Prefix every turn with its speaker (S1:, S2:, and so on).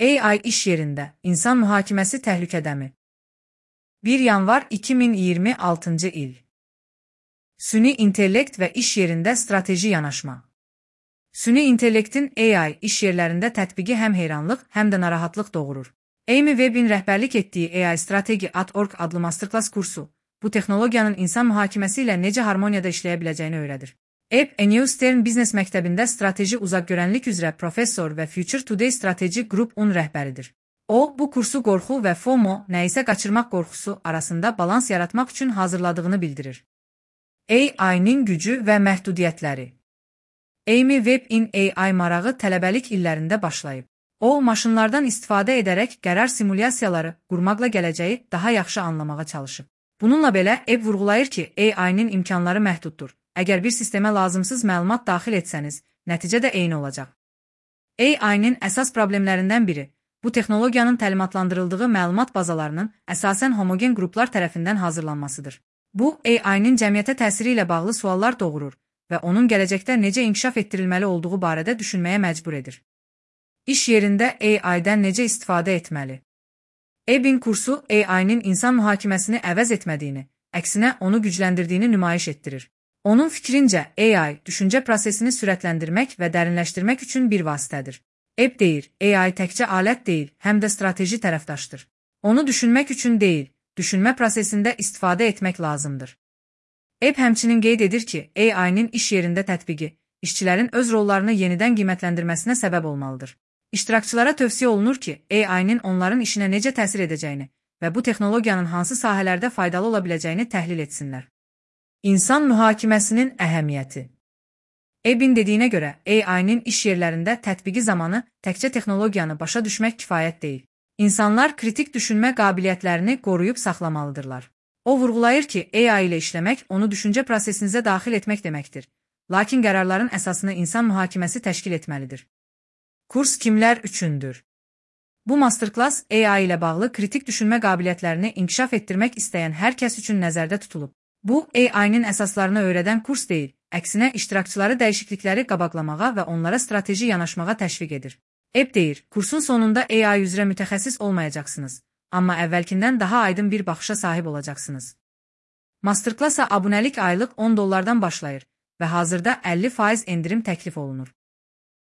S1: AI iş yerində insan mühakiməsi təhlükədəmi? 1 yanvar 2026 il. Süni intellekt və iş yerində strateji yanaşma. Süni intellektin AI iş yerlərində tətbiqi həm heyranlıq, həm də narahatlıq doğurur. Amy Web'in rəhbərlik etdiyi AI Strategy.org adlı masterclass kursu, bu texnologiyanın insan mühakiməsi ilə necə harmoniyada işləyə biləcəyini öyrədir. Ebb New Stern Biznes Məktəbində strateji uzaqgörənlik üzrə professor və Future Today Strategy Group-un rəhbəridir. O, bu kursu qorxu və FOMO, nəyisə qaçırmaq qorxusu arasında balans yaratmaq üçün hazırladığını bildirir. AI-nin gücü və məhdudiyyətləri. Amy Webb-in AI marağı tələbəlik illərində başlayıb. O, maşınlardan istifadə edərək qərar simulyasiyaları qurmaqla gələcəyi daha yaxşı anlamağa çalışıb. Bununla belə, Ebb vurğulayır ki, AI-nin imkanları məhduddur. Əgər bir sistemə lazımsız məlumat daxil etsəniz, nəticə də eyni olacaq. AI-nin əsas problemlərindən biri, bu texnologiyanın təlimatlandırıldığı məlumat bazalarının əsasən homogen qruplar tərəfindən hazırlanmasıdır. Bu, AI-nin cəmiyyətə təsiri ilə bağlı suallar doğurur və onun gələcəkdə necə inkişaf etdirilməli olduğu barədə düşünməyə məcbur edir. İş yerində AI-dən necə istifadə etməli? Ebb'in kursu AI-nin insan mühakiməsini əvəz etmədiyini, əksinə onu gücləndirdiyini nümayiş etdirir. Onun fikrincə, AI düşüncə prosesini sürətləndirmək və dərinləşdirmək üçün bir vasitədir. Ebb deyir, AI təkcə alət deyil, həm də strateji tərəfdaşdır. Onu düşünmək üçün deyil, düşünmə prosesində istifadə etmək lazımdır. Ebb həmçinin qeyd edir ki, AI-nin iş yerində tətbiqi, işçilərin öz rollarını yenidən qiymətləndirməsinə səbəb olmalıdır. İştirakçılara tövsiyə olunur ki, AI-nin onların işinə necə təsir edəcəyini və bu texnologiyanın hansı sahələrdə faydalı ola biləcəyini təhlil etsinlər. İnsan mühakiməsinin əhəmiyyəti. Ebb'in dediyinə görə, AI-nin iş yerlərində tətbiqi zamanı təkcə texnologiyanı başa düşmək kifayət deyil. İnsanlar kritik düşünmə qabiliyyətlərini qoruyub saxlamalıdırlar. O vurğulayır ki, AI ilə işləmək onu düşüncə prosesinizə daxil etmək deməkdir. Lakin qərarların əsasını insan mühakiməsi təşkil etməlidir. Kurs kimlər üçündür? Bu masterclass AI ilə bağlı kritik düşünmə qabiliyyətlərini inkişaf etdirmək istəyən hər kəs üçün nəzərdə tutulub. Bu, AI-nin əsaslarını öyrədən kurs deyil, əksinə iştirakçıları dəyişiklikləri qabaqlamağa və onlara strateji yanaşmağa təşviq edir. Ebb deyir, kursun sonunda AI üzrə mütəxəssis olmayacaqsınız, amma əvvəlkindən daha aydın bir baxışa sahib olacaqsınız. Masterclassa abunəlik aylıq $10 başlayır və hazırda 50% endirim təklif olunur.